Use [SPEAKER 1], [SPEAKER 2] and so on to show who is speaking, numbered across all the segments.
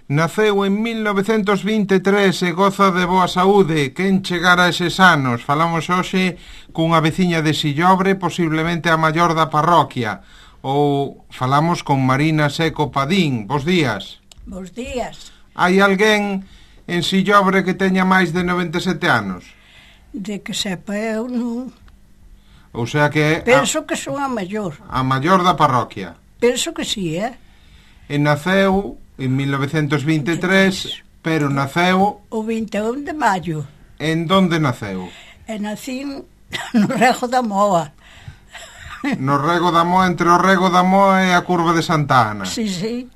[SPEAKER 1] Naceu en 1923 e goza de boa saúde. Quen chegara a eses anos? Falamos hoxe cunha veciña de Sillobre, posiblemente a maior da parroquia. Ou falamos con Marina Seco Padín. Bos días.
[SPEAKER 2] Bos días.
[SPEAKER 1] Hai alguén en Sillobre que teña máis de 97 anos?
[SPEAKER 2] De que sepa eu non.
[SPEAKER 1] Ou sea que...
[SPEAKER 2] Penso que son a maior.
[SPEAKER 1] A maior da parroquia.
[SPEAKER 2] Penso que sí,
[SPEAKER 1] E naceu en 1923, pero naceu...
[SPEAKER 2] O 21 de maio.
[SPEAKER 1] En donde naceu?
[SPEAKER 2] E nací no Rego da Moa.
[SPEAKER 1] No Rego da Moa, entre o Rego da Moa e a Curva de Santa Ana.
[SPEAKER 2] Sí, sí.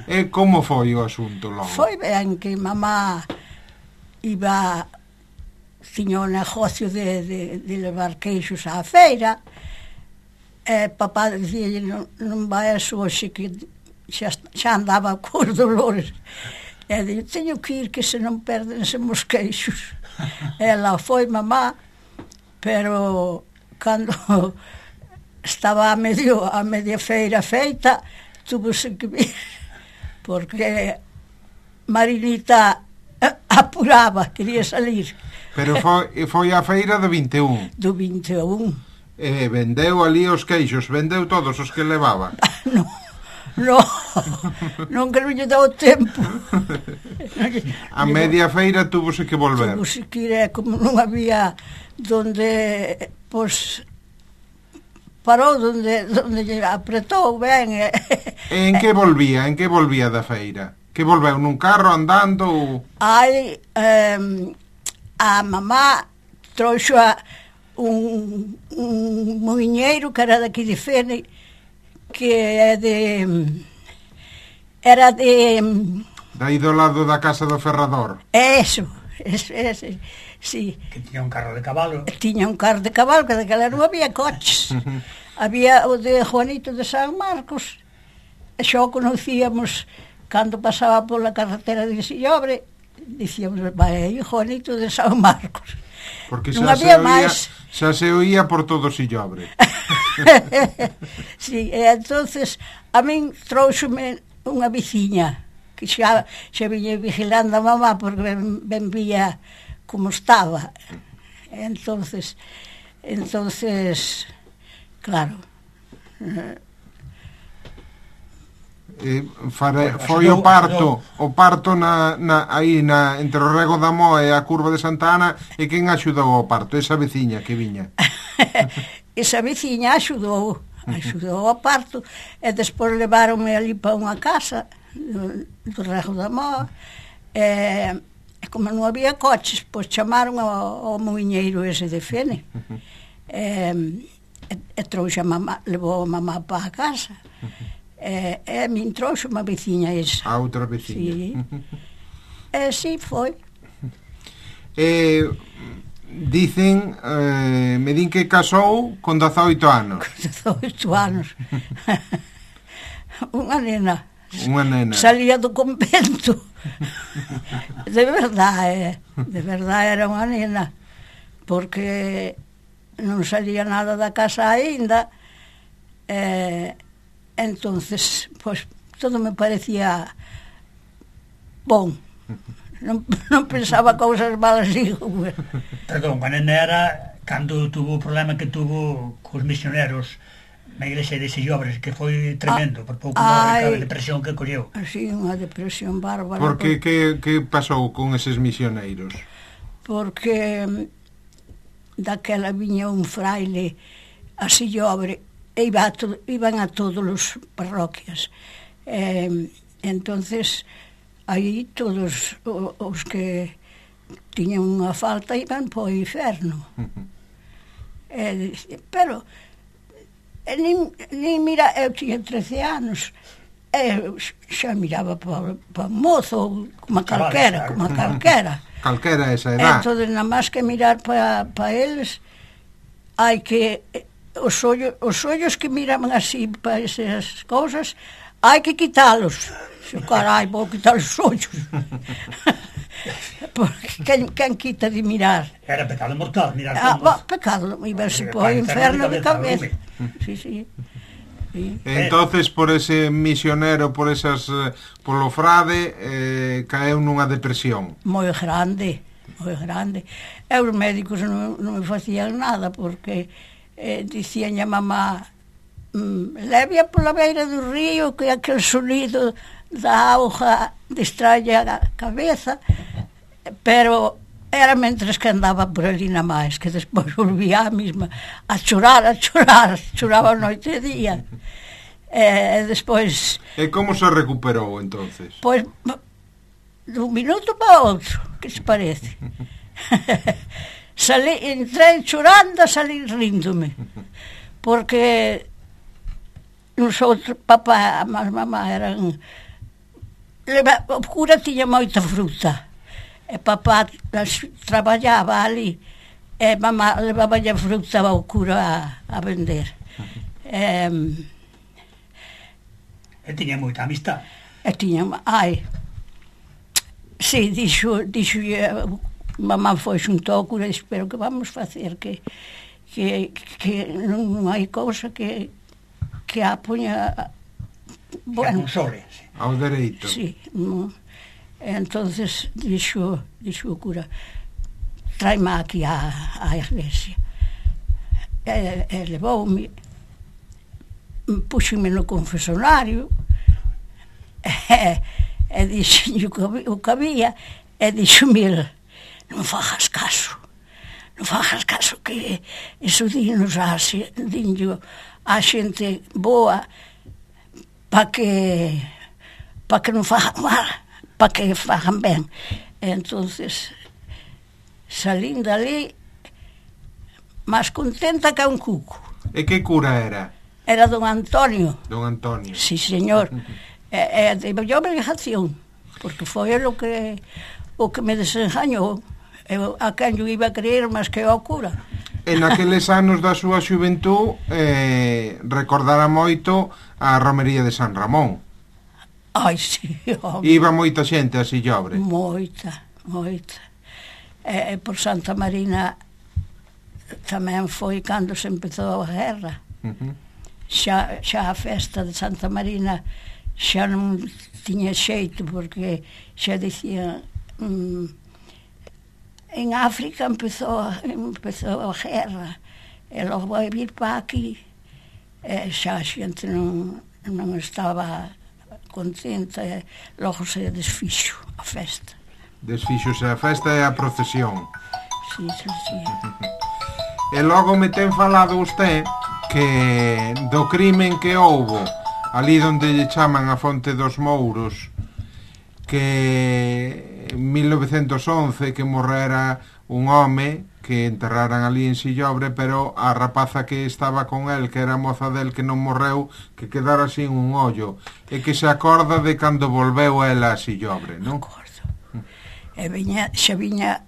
[SPEAKER 1] E como foi o asunto logo?
[SPEAKER 2] Foi ben que mamá iba... Tiña un negocio de levar queixos á feira. E papá dicía, non vai a hoxe que xa andaba cos dolores. E dixo, teño que ir que se non perdense os queixos. Ela foi mamá, pero cando estaba a media feira feita, tuvose que vir, porque Marinita apuraba, quería salir.
[SPEAKER 1] Pero foi a feira do 21.
[SPEAKER 2] Do 21.
[SPEAKER 1] E vendeu ali os queixos, vendeu todos os que levaba.
[SPEAKER 2] Non que non lle deu tempo.
[SPEAKER 1] A media feira tuvose que volver.
[SPEAKER 2] Tuvose que ir, como non había donde, pois, parou donde lle apretou ben.
[SPEAKER 1] E en que volvía? En que volvía da feira? Que volveu nun carro andando ou...
[SPEAKER 2] A mamá trouxo un moiñeiro que era daqui de Fene, que era de...
[SPEAKER 1] Daí do lado da casa do ferrador.
[SPEAKER 2] Eso, sí.
[SPEAKER 3] Que tiña un carro de cabalo.
[SPEAKER 2] Tiña un carro de cabalo, que daquela non había coches. Había o de Juanito de San Marcos, e xa o conocíamos cando pasaba pola carretera de Sillobre, dicíamos, vai aí Juanito de San Marcos.
[SPEAKER 1] Porque
[SPEAKER 2] non había máis.
[SPEAKER 1] Xa se oía por todo Sillobre.
[SPEAKER 2] Sí, e entonces a min trouxome unha veciña que xa viña vigilando a mamá porque ben vía como estaba. Entonces claro,
[SPEAKER 1] foi o parto aí entre o Rego da Moa e a Curva de Santa Ana. E quen axudou ao parto? Esa veciña que viña.
[SPEAKER 2] Esa veciña axudou ao parto, e despois leváronme ali para unha casa do Rego da Moa, e como non había coches, pois chamaron ao moiñeiro ese de Fene, e trouxe a mamá, levou a mamá para a casa. E a min trouxe unha veciña esa.
[SPEAKER 1] A outra veciña.
[SPEAKER 2] Sí, foi.
[SPEAKER 1] Dicen, me din que casou con 18 anos.
[SPEAKER 2] Con 18 anos. Unha nena. Salía do convento. De verdade era unha nena, porque non salía nada da casa aínda. Entonces, pois, todo me parecía bon. Non pensaba cousas malas, digo.
[SPEAKER 3] Perdón, a nena era cando tuvo o problema que tuvo cos misioneros na igrexa de Sillobres, que foi tremendo, por pouco a depresión que colleu.
[SPEAKER 2] Sí, unha depresión bárbara.
[SPEAKER 1] Por que pasou con eses misioneiros?
[SPEAKER 2] Porque daquela viña un fraile a Sillobre, e iban a todos os parroquias. Entonces aí todos os que tiñan unha falta iban para o inferno. Pero nin mira, eu tiña 13 anos, xa miraba para o mozo, como calquera.
[SPEAKER 1] Calquera esa edad.
[SPEAKER 2] Entón, nada máis que mirar para eles, hai que... Os ollos que miraban así para esas cousas, hai que quitalos. Carai, vou quitar os ollos. Porque quen quita de mirar?
[SPEAKER 3] Era pecado mortal mirar
[SPEAKER 2] pecado, iba-se para o inferno de cabeza. Sí. Sí.
[SPEAKER 1] Entonces, por ese misionero, polo frade, caeu nunha depresión.
[SPEAKER 2] Moi grande, moi grande. E os médicos non me facían nada, porque dicían a mamá, levia pola beira do río, que aquel sonido da auga distrae a cabeza, pero era mentres que andaba por ali na máis, que despois volvía a mesma a chorar, choraba noite e día. E despois...
[SPEAKER 1] E como se recuperou, entonces?
[SPEAKER 2] Pois, dun minuto para outro, que se parece. Entrei chorando, salí ríndome, porque nosotros, papá e mamá eran... O cura tiña moita fruta, e papá traballaba ali, e mamá levaba a fruta ao cura a vender.
[SPEAKER 3] E tiña moita amistad.
[SPEAKER 2] E tiña, si, dixo, mamá foi xunto ao cura, espero que vamos facer, que non hai cousa que a poña...
[SPEAKER 3] Bueno, console, sí.
[SPEAKER 1] Ao dereito.
[SPEAKER 2] Sí, no. Entonces dixo o cura, traime aquí á iglesia. E levoume, puxeme no confesonario, e dixo o que había, e dixo, mira, non fagas caso, que eso dinos a xente boa, para que non fagan mal, para que fagan ben. Entonces salín dali máis contenta que un cuco.
[SPEAKER 1] E que cura era?
[SPEAKER 2] Era don Antonio.
[SPEAKER 1] Don Antonio.
[SPEAKER 2] Sí, señor. E de obrigación, porque foi o que me desengañou. Eu a quen yo iba a creer máis que ao cura.
[SPEAKER 1] En aqueles anos da súa xuventú recordara moito a romería de San Ramón.
[SPEAKER 2] Ai, sí, home.
[SPEAKER 1] Iba moita xente a Sillobre.
[SPEAKER 2] Moita. E por Santa Marina tamén foi cando se empezou a guerra. Xa a festa de Santa Marina xa non tiña xeito, porque xa dicían... En África empezou a guerra, e logo vai vir para aquí, e xa a xente non estaba contenta, e logo se desfixo a festa.
[SPEAKER 1] Desfixose a festa e a procesión.
[SPEAKER 2] Sí.
[SPEAKER 1] E logo me ten falado usted que do crimen que houbo ali onde lle chaman a Fonte dos Mouros, que en 1911 que morrera un home que enterraran ali en Sillobre, pero a rapaza que estaba con el, que era moza del que non morreu, que quedara sin un ollo, e que se acorda de cando volveu ela a Sillobre, non?
[SPEAKER 2] Acordo. E xa viña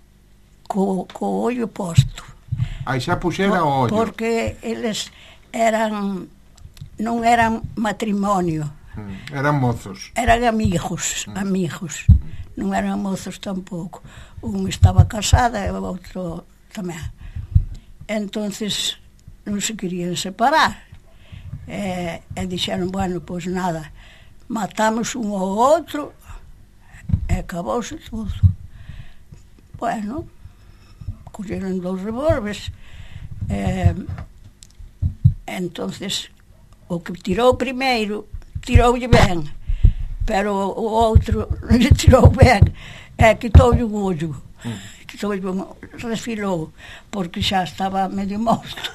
[SPEAKER 2] co ollo posto.
[SPEAKER 1] Aí xa puxera o ollo.
[SPEAKER 2] Porque eles non eran matrimonio.
[SPEAKER 1] Eran mozos.
[SPEAKER 2] Eran amigos. Non eran mozos tampouco. Un estaba casada e o outro tamén. Entonces non se querían separar. E dixeron, bueno, pois nada, matamos un ao outro e acabouse todo. Bueno, colleron 2 revólveres. Entonces o que tirou primeiro tiroulle ben, pero o outro non lle tirou ben, quitoulle un ollo, resfilou, porque xa estaba medio morto.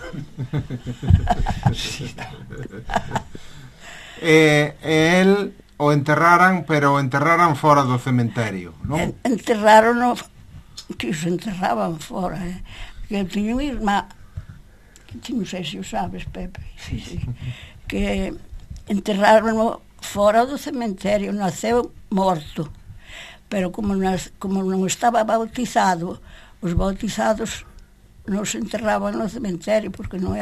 [SPEAKER 1] E el o enterraran, pero o enterraran fora do cementerio, non?
[SPEAKER 2] Enterraron que se enterraban fora, que eu tiña unha irmá, que non sei se o sabes, Pepe, sí. Que enterraron fora do cementerio, naceu morto, pero como non estaba bautizado, os bautizados non se enterraban no cementerio porque non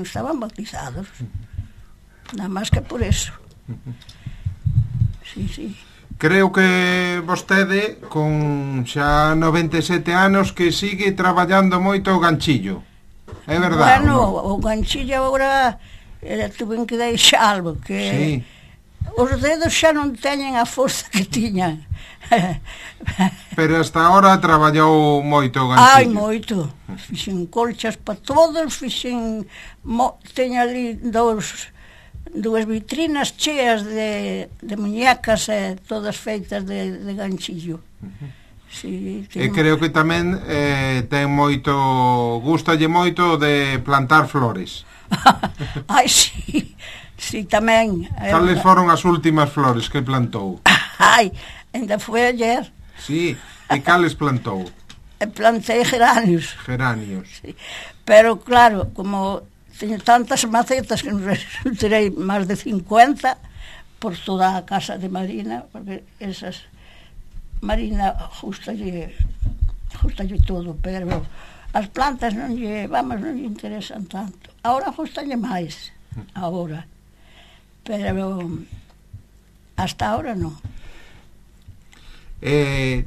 [SPEAKER 2] estaban bautizados, nada máis que por eso. Sí.
[SPEAKER 1] Creo que vostede con xa 97 anos que sigue traballando moito o ganchillo, é verdade?
[SPEAKER 2] Bueno, o ganchillo agora tuve que deixalo, que
[SPEAKER 1] Sí.
[SPEAKER 2] os dedos xa non teñen a forza que tiñan.
[SPEAKER 1] Pero hasta ahora traballou moito o
[SPEAKER 2] Ai,
[SPEAKER 1] ganchillo.
[SPEAKER 2] moito. Fixen colchas para todos, teño ali dúas vitrinas cheas de muñecas, todas feitas de ganchillo. Sí,
[SPEAKER 1] E creo que tamén ten moito, gustalle moito de plantar flores.
[SPEAKER 2] Ai, sí, sí, tamén.
[SPEAKER 1] Cales foron as últimas flores que plantou?
[SPEAKER 2] Ai, ainda foi ayer.
[SPEAKER 1] Sí, e cales plantou?
[SPEAKER 2] Plantei geranios.
[SPEAKER 1] Geranios.
[SPEAKER 2] Sí. Pero, claro, como teño tantas macetas que non resultarei máis de 50 por toda a casa de Marina, porque esas Marina justalle todo, pero as plantas non lle interesan tanto. Ahora justalle máis, agora. Pero hasta ahora non.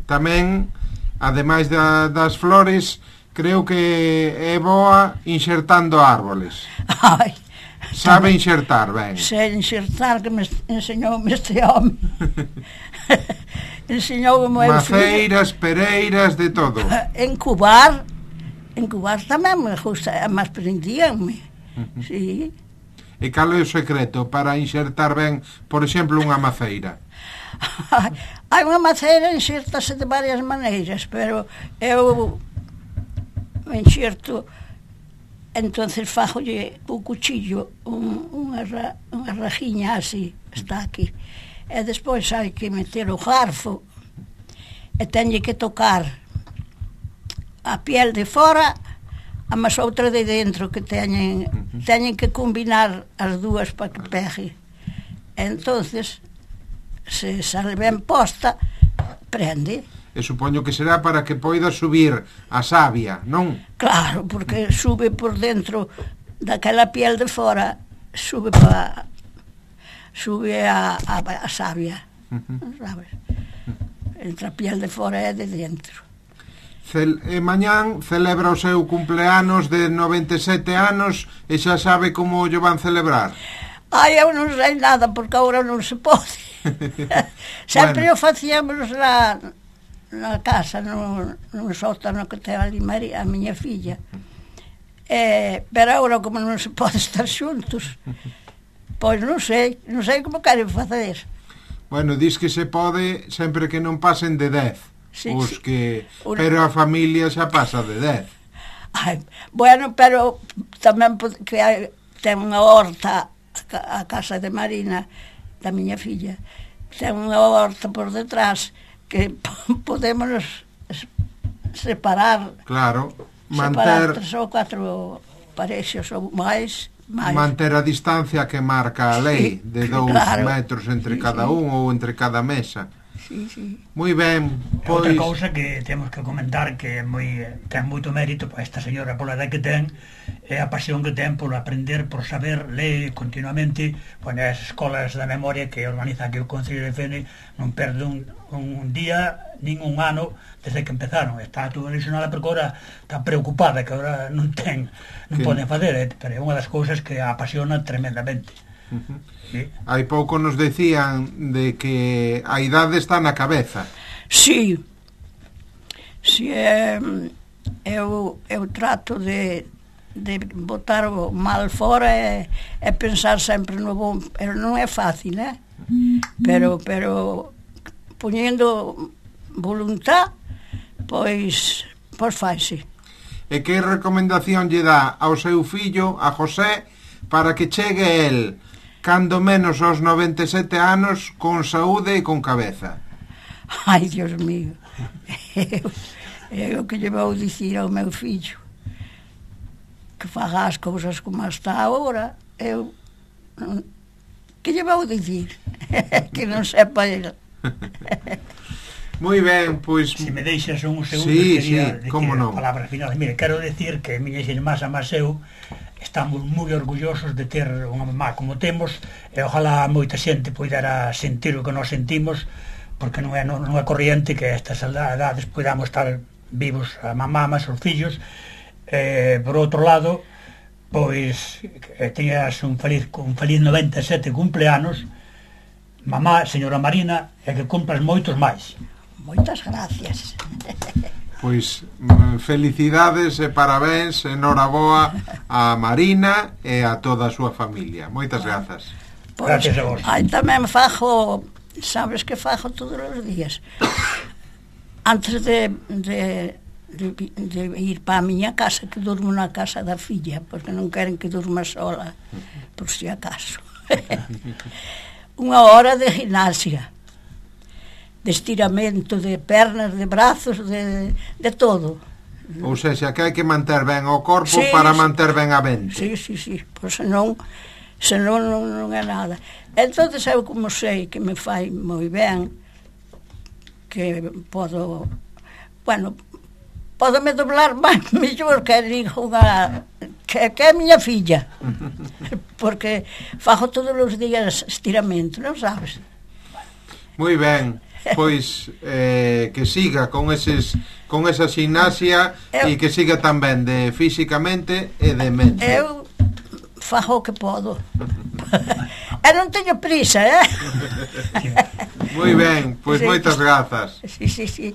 [SPEAKER 1] Tamén, ademais das flores, creo que é boa insertando árboles.
[SPEAKER 2] Ai,
[SPEAKER 1] Sabe insertar ben.
[SPEAKER 2] sei insertar, que me enseñoume este home. Enseñoume o
[SPEAKER 1] Maceiras, pereiras, de todo.
[SPEAKER 2] Encubar tamén me gusta, mas prendíanme. Sí.
[SPEAKER 1] E cal é o secreto para insertar ben, por exemplo, unha maceira?
[SPEAKER 2] Hai unha maceira, insertase de varias maneiras, pero eu enxerto, entonces fajolle o cuchillo unha rajiña así, está aquí, e despois hai que meter o garfo e teñe que tocar a piel de fora a mas outra de dentro, que teñen que combinar as dúas para que pegue. Entonces, se sale ben posta, prende.
[SPEAKER 1] E supoño que será para que poida subir a savia, non?
[SPEAKER 2] Claro, porque sube por dentro daquela piel de fora, sube a savia, sabes? Entre a piel de fora e de dentro.
[SPEAKER 1] Mañán celebra o seu cumpleanos de 97 anos e xa sabe como o van celebrar.
[SPEAKER 2] Ai, eu non sei nada, porque agora non se pode. Sempre o facíamos na casa, no sótano que ten ali a miña filla. Pero agora, como non se pode estar xuntos, pois non sei como queren facer.
[SPEAKER 1] Bueno, dis que se pode sempre que non pasen de 10.
[SPEAKER 2] Sí,
[SPEAKER 1] pero a familia xa pasa de 10.
[SPEAKER 2] Ai, bueno, pero tamén que ten unha horta a casa de Marina, da miña filla, ten unha horta por detrás que podemos separar.
[SPEAKER 1] Claro,
[SPEAKER 2] manter 3 ou 4 parexos ou máis.
[SPEAKER 1] Manter a distancia que marca a lei, de 2 metros entre cada un ou entre cada mesa.
[SPEAKER 2] Sí.
[SPEAKER 1] Moi ben,
[SPEAKER 3] pois... Outra cousa que temos que comentar que ten moito mérito para esta señora pola edad que ten, é a pasión que ten por aprender, por saber ler continuamente. Pois as escolas da memoria que organiza aquí o Concello de Fene non perde un día nin un ano desde que empezaron. Está toda ilusionada porque agora está preocupada que agora non poden facer, pero é unha das cousas que a apasiona tremendamente.
[SPEAKER 1] Sí. Hai pouco nos decían de que a idade está na cabeza.
[SPEAKER 2] Sí, eu trato de botar o mal fora e pensar sempre no bom, pero non é fácil, pero poñendo voluntad, pois faise.
[SPEAKER 1] E que recomendación lle dá ao seu fillo, a José, para que chegue el cando menos aos 97 anos con saúde e con cabeza?
[SPEAKER 2] Ai, Dios mío, eu que lle vou dicir ao meu fillo que faga as cousas como está agora. Eu que lle vou dicir que non sepa ele.
[SPEAKER 1] Moi ben, pois...
[SPEAKER 3] Se me deixas un segundo,
[SPEAKER 1] quería
[SPEAKER 3] decir a palabra final. Mire, quero decir que miñas irmás a máis eu estamos moi orgullosos de ter unha mamá como temos, e ojalá moita xente poidera sentir o que nos sentimos, porque non é corriente que a estas edades podamos estar vivos a mamá máis os fillos. Por outro lado, pois teñas un feliz 97 cumpleanos, mamá, señora Marina, e que cumplas moitos máis.
[SPEAKER 2] Moitas gracias.
[SPEAKER 1] Pois felicidades e parabéns, enhoraboa a Marina e a toda a súa familia. Moitas grazas.
[SPEAKER 2] Pois,
[SPEAKER 3] Gracias a vos.
[SPEAKER 2] aí tamén fajo, sabes que fajo todos os días. Antes de ir para a miña casa, que durmo na casa da filla, porque non queren que durma sola, por si acaso. 1 hora de gimnasia, de estiramento de pernas, de brazos, de todo.
[SPEAKER 1] Ou seja, que hai que manter ben o corpo
[SPEAKER 2] Sí,
[SPEAKER 1] para
[SPEAKER 2] sí.
[SPEAKER 1] manter ben a mente.
[SPEAKER 2] Sí, pois senón non é nada. Entón, eu como sei que me fai moi ben, que podo, bueno, podome doblar máis mellor que digo que é a miña filla, porque fago todos os días estiramento, non sabes?
[SPEAKER 1] Moi ben, pois que siga con esa gimnasia e que siga tamén de físicamente e de mente.
[SPEAKER 2] Eu fago o que podo. E non teño prisa,
[SPEAKER 1] Moi ben, pois
[SPEAKER 2] Sí.
[SPEAKER 1] moitas grazas.
[SPEAKER 2] Sí.